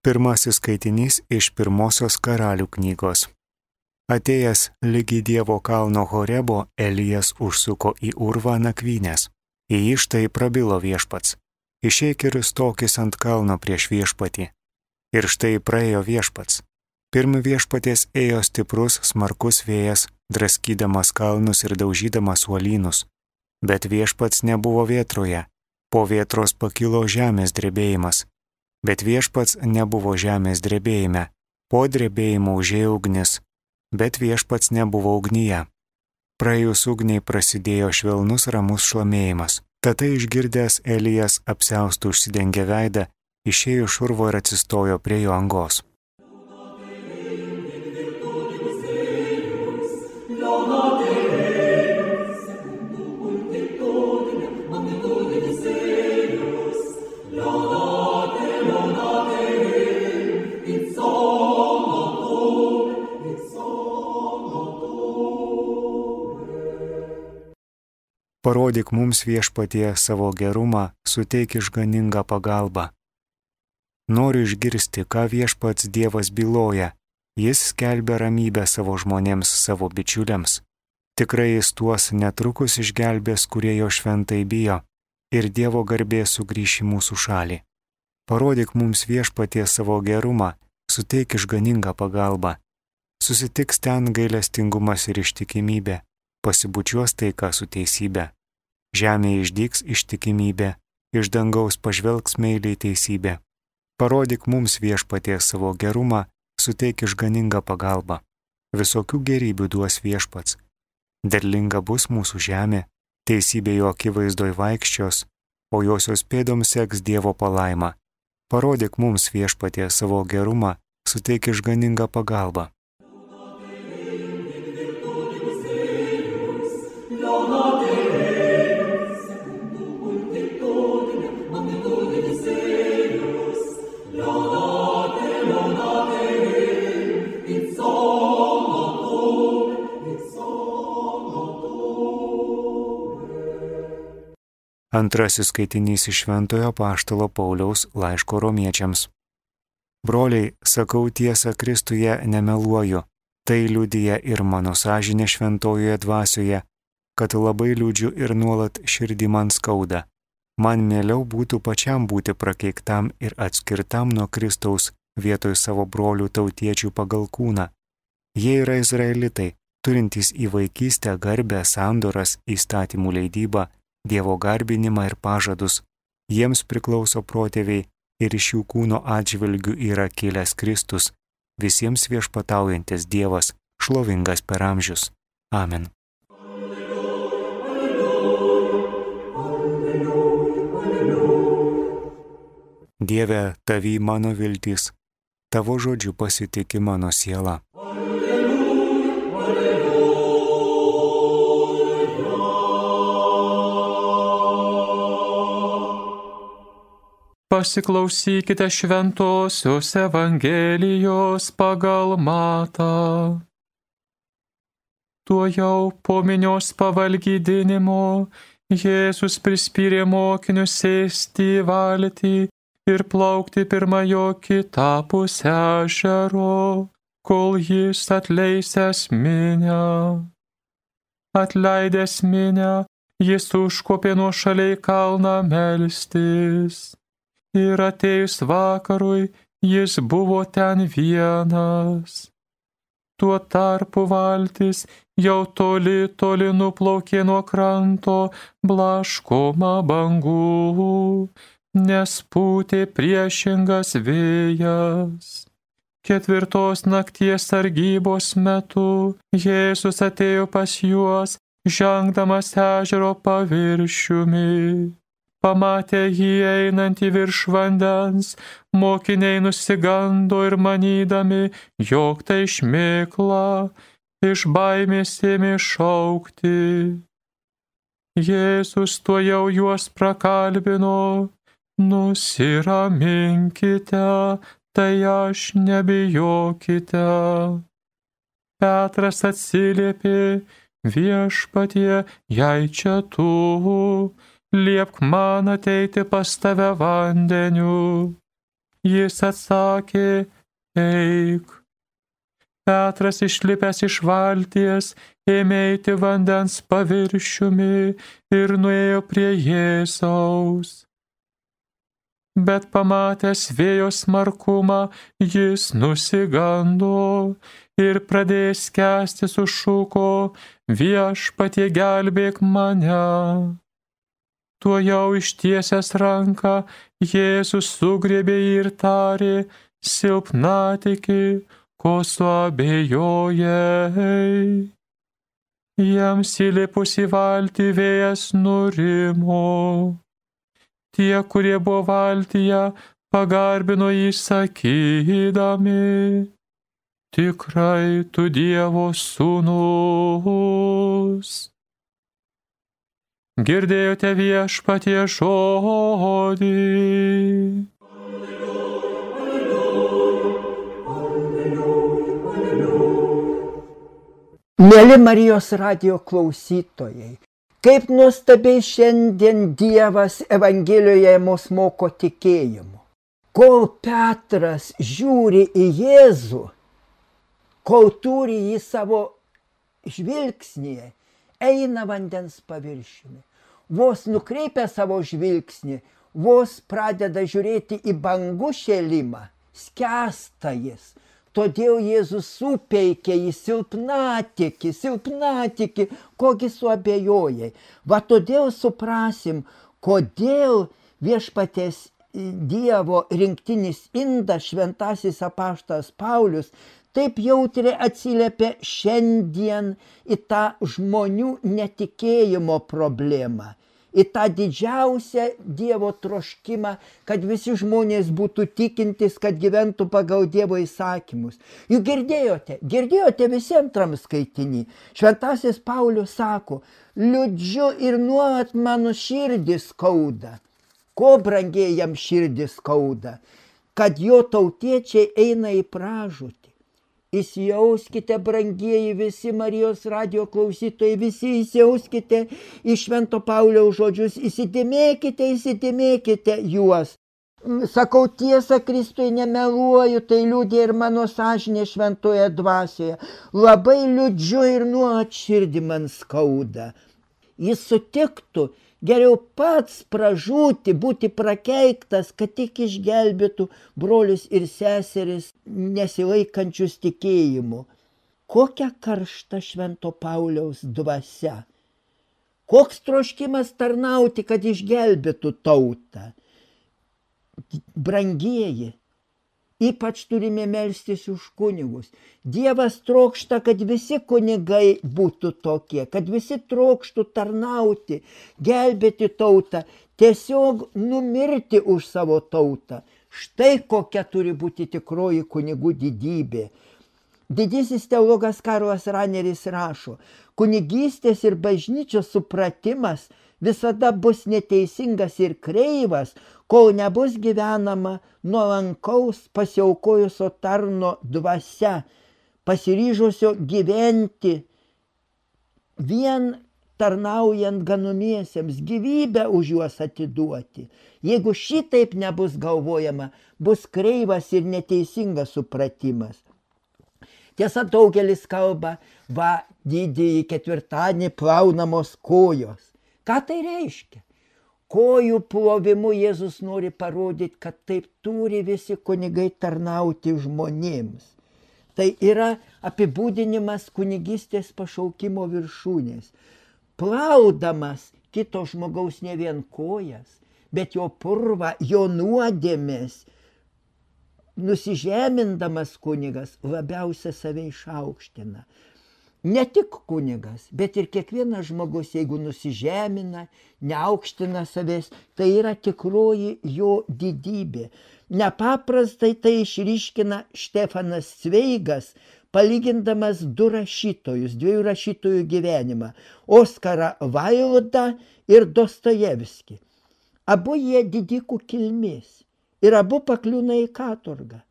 Pirmasis skaitinys iš Pirmosios Karalių knygos. Atėjęs lygi Dievo kalno Horebo, Elijas užsuko į urvą nakvynės. Į jį štai prabilo viešpats. Išeik ir stokis ant kalno prieš viešpatį. Ir štai praėjo viešpats. Pirm viešpaties ėjo stiprus, smarkus vėjas, draskydamas kalnus ir daužydamas uolynus. Bet viešpats nebuvo vėtroje. Po vėtros pakilo žemės drebėjimas. Bet viešpats nebuvo žemės drebėjime. Po drebėjimo užėjo ugnis, bet viešpats nebuvo ugnyje. Praėjus ugniai prasidėjo švelnus ramus šlamėjimas. Tada išgirdęs Elijas apsiaustų užsidengė veidą, išėjo iš urvo ir atsistojo prie jo angos. Parodyk mums viešpatie savo gerumą, suteik išganingą pagalbą. Noriu išgirsti, ką viešpats Dievas byloja. Jis skelbia ramybę savo žmonėms, savo bičiuliams. Tikrai jis tuos netrukus išgelbės, kurie jo šventai bijo, ir Dievo garbė sugrįš į mūsų šalį. Parodyk mums viešpatie savo gerumą, suteik išganingą pagalbą. Susitiks ten gailestingumas ir ištikimybė, pasibučiuos taika su teisybė. Žemėje išdygs ištikimybė, iš dangaus pažvelgs meiliai teisybė. Parodyk mums viešpatie savo gerumą, suteik išganingą pagalbą. Visokių gerybių duos viešpats. Derlinga bus mūsų žemė, teisybė jo akivaizdoj vaikščios, o josios pėdoms seks Dievo palaima. Parodyk mums viešpatie savo gerumą, suteik išganingą pagalbą. Antrasis skaitinys iš Šventojo Apaštalo Pauliaus laiško Romiečiams. Broliai, sakau tiesą Kristuje nemeluoju, tai liudija ir mano sąžinė šventojoje dvasioje, kad labai liūdžiu ir nuolat širdį man skauda. Man mieliau būtų pačiam būti prakeiktam ir atskirtam nuo Kristaus vietoj savo brolių tautiečių pagal kūną. Jie yra izraelitai, turintys į vaikystę garbę, sandoras, įstatymų leidybą, Dievo garbinimą ir pažadus. Jiems priklauso protėviai ir iš jų kūno atžvilgių yra kilęs Kristus, visiems viešpataujantis Dievas, šlovingas per amžius. Amen. Dieve, tavy mano viltis, tavo žodžiu pasitiki mano siela. Pasiklausykite šventosios Evangelijos pagal Matą. Tuojau po minios pavalgydinimo Jėzus prispyrė mokinius sėsti į valtį ir plaukti pirma jo kitapus ežero, kol jis atleisęs minią. Atleidęs minią, jis užkopė nuošaliai kalną melstis. Ir atėjus vakarui, jis buvo ten vienas. Tuo tarpu valtis jau toli nuplaukė nuo kranto, blaškoma bangų, nes pūtė priešingas vėjas. 4 nakties sargybos metu Jėzus atėjo pas juos, žengdamas ežero paviršiumi. Pamatę jį einantį virš vandens, mokiniai nusigando ir manydami, jog tai šmėkla, iš baimės ėmė šaukti. Jėzus tuojau juos prakalbino, nusiraminkite, tai aš nebijokite. Petras atsiliepė, viešpatie, jei čia tu, liepk man ateiti pas tave vandeniu. Jis atsakė, eik. Petras išlipęs iš valties, ėmė eiti vandens paviršiumi ir nuėjo prie Jėzaus. Bet pamatęs vėjo smarkumą, jis nusigando ir pradėjęs skęsti sušuko, Viešpatie gelbėk mane. Tuojau ištiesęs ranką, Jėzus sugriebė jį ir tarė, silpnatiki, ko suabejojai. Jiems įlipus į valtį vėjas nurimo. Tie, kurie buvo valtyje, pagarbino jį sakydami, tikrai tu Dievo sūnus. Girdėjote Viešpatie žodį. Mieli Marijos radijo klausytojai, kaip nuostabiai šiandien Dievas Evangelijoje mus moko tikėjimu. Kol Petras žiūri į Jėzų, kol turi jį savo žvilgsnyje, eina vandens paviršiumi. Vos nukreipia savo žvilgsnį, vos pradeda žiūrėti į bangų šėlimą, skęsta jis. Todėl Jėzus supeikė į silpnatiki, kogi suabejojai. Va todėl suprasim, kodėl Viešpaties Dievo rinktinis indas, šventasis apaštalas Paulius, taip jautriai atsiliepia šiandien į tą žmonių netikėjimo problemą, į tą didžiausią Dievo troškimą, kad visi žmonės būtų tikintis, kad gyventų pagal Dievo įsakymus. Juk girdėjote visi antram skaitinį. Šventasis Paulius sako, liūdžiu ir nuolat mano širdis skauda. Ko brangiai jam širdis skauda? Kad jo tautiečiai eina į pražūtį. Įsijauskite, brangieji visi Marijos radijo klausytojai, visi įsijauskite į Švento Pauliaus žodžius, įsidėmėkite juos. Sakau tiesą, Kristui nemeluoju, tai liudija ir mano sąžinė šventoje dvasioje. Labai liūdžiu ir nuolat širdį man skauda. Jis sutiktų geriau pats pražūti, būti prakeiktas, kad tik išgelbėtų brolius ir seseris nesilaikančius tikėjimu. Kokia karšta Švento Pauliaus dvasia. Koks troškimas tarnauti, kad išgelbėtų tautą. Brangieji, ypač turime melstis už kunigus. Dievas trokšta, kad visi kunigai būtų tokie, kad visi trokštų tarnauti, gelbėti tautą, tiesiog numirti už savo tautą. Štai kokia turi būti tikroji kunigų didybė. Didysis teologas Karlas Raneris rašo, kunigystės ir bažnyčios supratimas visada bus neteisingas ir kreivas, kol nebus gyvenama nuolankaus pasiaukojusio tarno dvasia, pasiryžusio gyventi vien tarnaujant ganomiesiems, gyvybę už juos atiduoti. Jeigu šitaip nebus galvojama, bus kreivas ir neteisingas supratimas. Tiesa, daugelis kalba, va, didįjį ketvirtadienį plaunamos kojos. Ką tai reiškia? Kojų plovimu Jėzus nori parodyti, kad taip turi visi kunigai tarnauti žmonėms. Tai yra apibūdinimas kunigystės pašaukimo viršūnės. Plaudamas kito žmogaus ne vien kojas, bet jo purvą, jo nuodėmės, nusižemindamas kunigas labiausia save išaukština. Ne tik kunigas, bet ir kiekvienas žmogus, jeigu nusižemina, neaukština savęs, tai yra tikroji jo didybė. Nepaprastai tai išryškina Štefanas Cveigas, palygindamas du rašytojus, dviejų rašytojų gyvenimą – Oskarą Vaildą ir Dostojevskį. Abu jie didikų kilmės ir abu pakliūna į katorgą.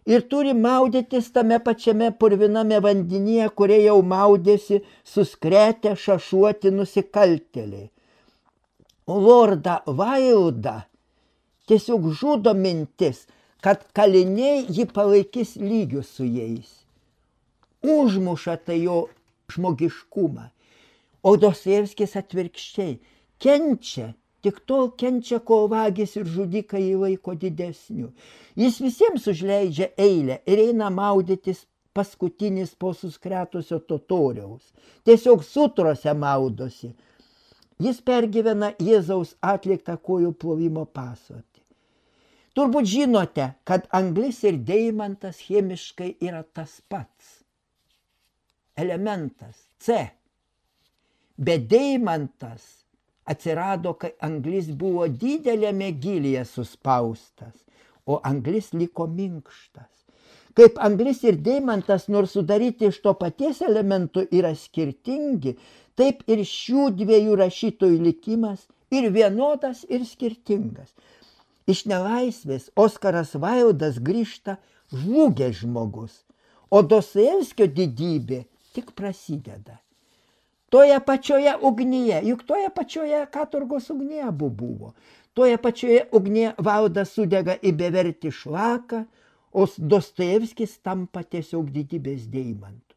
Ir turi maudytis tame pačiame purviname vandenyje, kurie jau maudėsi suskretę šašuoti nusikaltėliai. Lordą Vaildą tiesiog žudo mintis, kad kaliniai jį palaikys lygių su jais. Užmuša tai jo žmogiškumą. O Dostojevskis atvirkščiai kenčia, tik tol kenčia, kol vagis ir žudikai jį laiko didesniu. Jis visiems užleidžia eilę ir eina maudytis paskutinis po suskretusio totoriaus. Tiesiog sutrose maudosi. Jis pergyvena Jėzaus atliktą kojų plovimo paslaptį. Turbūt žinote, kad anglis ir deimantas chemiškai yra tas pats. Elementas C. Bet deimantas atsirado, kai anglis buvo didelėme gylyje suspaustas, o anglis liko minkštas. Kaip anglis ir deimantas, nors sudaryti iš to paties elementų yra skirtingi, taip ir šių dviejų rašytojų likimas ir vienodas ir skirtingas. Iš nelaisvės Oskaras Vaildas grįžta žlugęs žmogus, o Dostojevskio didybė tik prasideda. Toje pačioje ugnyje, juk toje pačioje katorgos ugnyje abu buvo. Toje pačioje ugnyje Vaildas sudega į bevertį šlaką, o Dostojevskis tampa tiesiog didybės deimantu.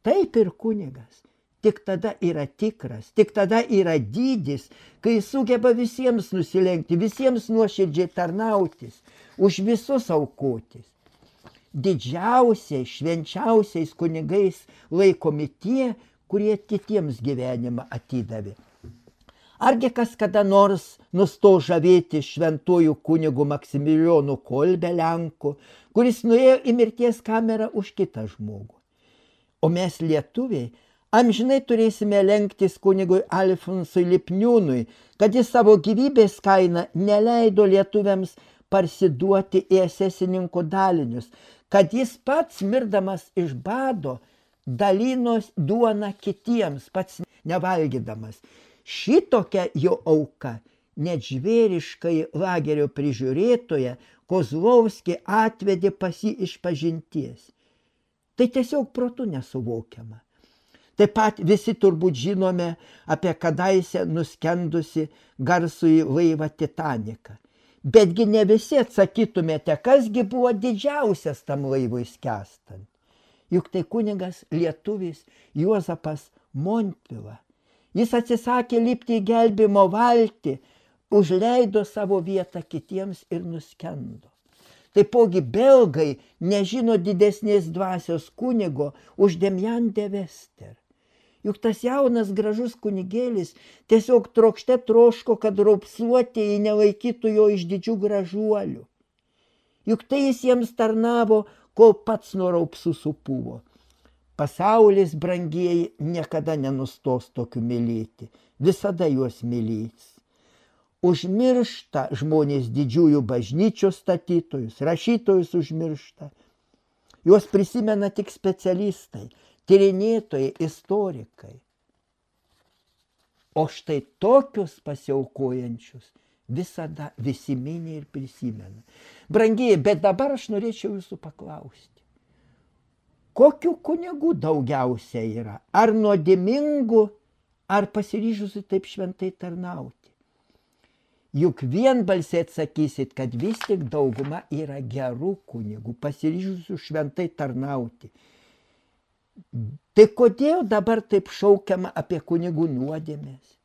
Taip ir kunigas. Tik tada yra tikras, tik tada yra dydis, kai sugeba visiems nusilenkti, visiems nuoširdžiai tarnautis, už visus aukotis. Didžiausiais, švenčiausiais kunigais laikomi tie, kurie kitiems gyvenimą atidavė. Argi kas kada nors nusto žavėti šventuoju kunigu Maksimilijonu Kolbe Lenku, kuris nuėjo į mirties kamerą už kitą žmogų. O mes lietuviai amžinai turėsime lenktis kunigui Alfonsui Lipniūnui, kad jis savo gyvybės kainą neleido lietuviams parsiduoti į esesininkų dalinius, kad jis pats mirdamas iš bado dalinos duoną kitiems, pats nevalgydamas. Šitokia jo auka net žvėriškai lagerio prižiūrėtoja Kozlovskį atvedė pas jį iš pažinties. Tai tiesiog protu nesuvokiama. Taip pat visi turbūt žinome apie kadaise nuskendusi garsųjį laivą Titaniką. Betgi ne visi atsakytumėte, kasgi buvo didžiausias tam laivui skęstant. Juk tai kunigas lietuvis Juozapas Montvila. Jis atsisakė lipti į gelbėjimo valtį, užleido savo vietą kitiems ir nuskendo. Taipogi belgai nežino didesnės dvasios kunigo už Demjan de Vester. Juk tas jaunas gražus kunigėlis tiesiog trokšte troško, kad raupsuotieji nelaikytų jo iš didžių gražuolių. Juk tai jis jiems tarnavo, kol pats nuo raupsų supuvo. Pasaulis, brangieji, niekada nenustos tokių mylėti, visada juos mylės. Užmiršta žmonės didžiųjų bažnyčios statytojus, rašytojus užmiršta. Juos prisimena tik specialistai, tyrinėtojai, istorikai. O štai tokius pasiaukojančius visada visi mini ir prisimena. Brangieji, bet dabar aš norėčiau jūsų paklausti. Kokių kunigų daugiausia yra? Ar nuodėmingų, ar pasiryžusių taip šventai tarnauti? Juk vienbalsiai atsakysit, kad vis tik dauguma yra gerų kunigų, pasiryžusių šventai tarnauti. Tai kodėl dabar taip šaukiama apie kunigų nuodėmes?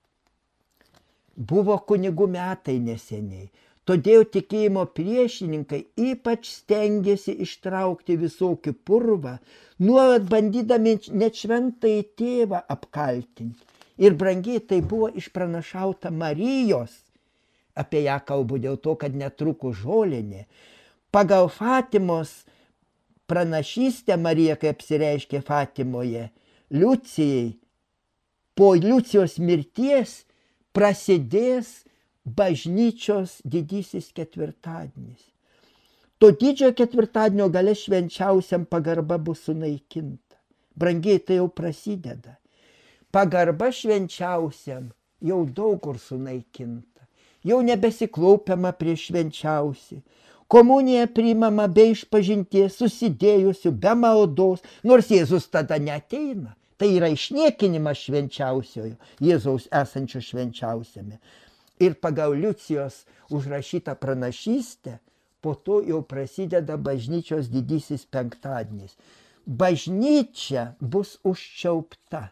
Buvo kunigų metai neseniai. Todėl tikėjimo priešininkai ypač stengiasi ištraukti visokį purvą, nuolat bandydami net šventąjį tėvą apkaltinti. Ir brangiai tai buvo išpranašauta Marijos, apie ją kalbu dėl to, kad netrukus žolinė. Pagal Fatimos pranašystę Marija, kai apsireiškė Fatimoje, Liucijai, po Liucijos mirties prasidės bažnyčios didysis ketvirtadienis. To didžiojo ketvirtadienio gale švenčiausiam pagarba bus sunaikinta. Brangiai, tai jau prasideda. Pagarba švenčiausiam jau daug kur sunaikinta. Jau nebesiklaupiama prieš švenčiausią. Komunija priimama be išpažinties, susidėjusių, be maldos, nors Jėzus tada neateina. Tai yra išniekinimas švenčiausiojo, Jėzaus esančio švenčiausiame. Ir pagal Liucijos užrašytą pranašystę, po to jau prasideda bažnyčios didysis penktadienis. Bažnyčia bus užčiaupta.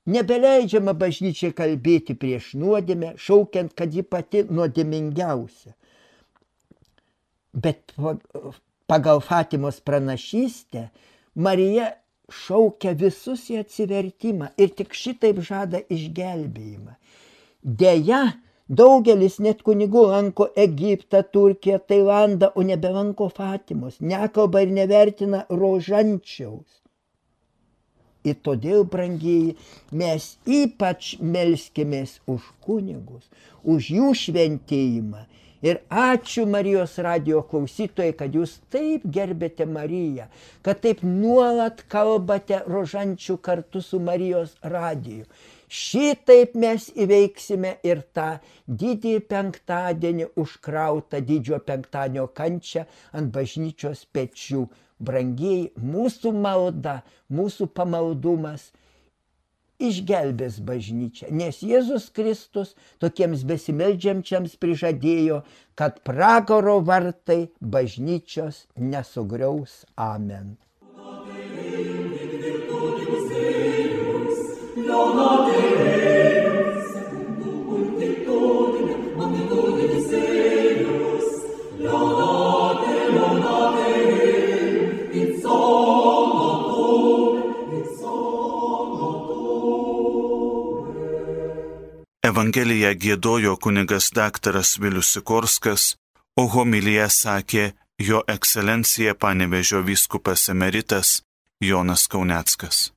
Nebeleidžiama bažnyčiai kalbėti prieš nuodėmę, šaukiant, kad ji pati nuodėmingiausia. Bet pagal Fatimos pranašystę Marija šaukia visus į atsivertimą ir tik šitaip žada išgelbėjimą. Deja, daugelis net kunigų lanko Egiptą, Turkiją, Tailandą, o nebelanko Fatimos, nekalba ir nevertina rožančiaus. Ir todėl, brangieji, mes ypač melskimės už kunigus, už jų šventėjimą. Ir ačiū Marijos radijo klausytojai, kad jūs taip gerbėte Mariją, kad taip nuolat kalbate rožančių kartu su Marijos radiju. Šitaip mes įveiksime ir tą didįjį penktadienį užkrautą didžiojo penktadienio kančią ant bažnyčios pečių. Brangieji, mūsų malda, mūsų pamaldumas išgelbės bažnyčią, nes Jėzus Kristus tokiems besimeldžiančiams prižadėjo, kad pragaro vartai bažnyčios nesugriaus. Amen. Evangeliją giedojo kunigas daktaras Vilius Sikorskas, o homiliją sakė jo ekscelencija Panevėžio vyskupas emeritas Jonas Kauneckas.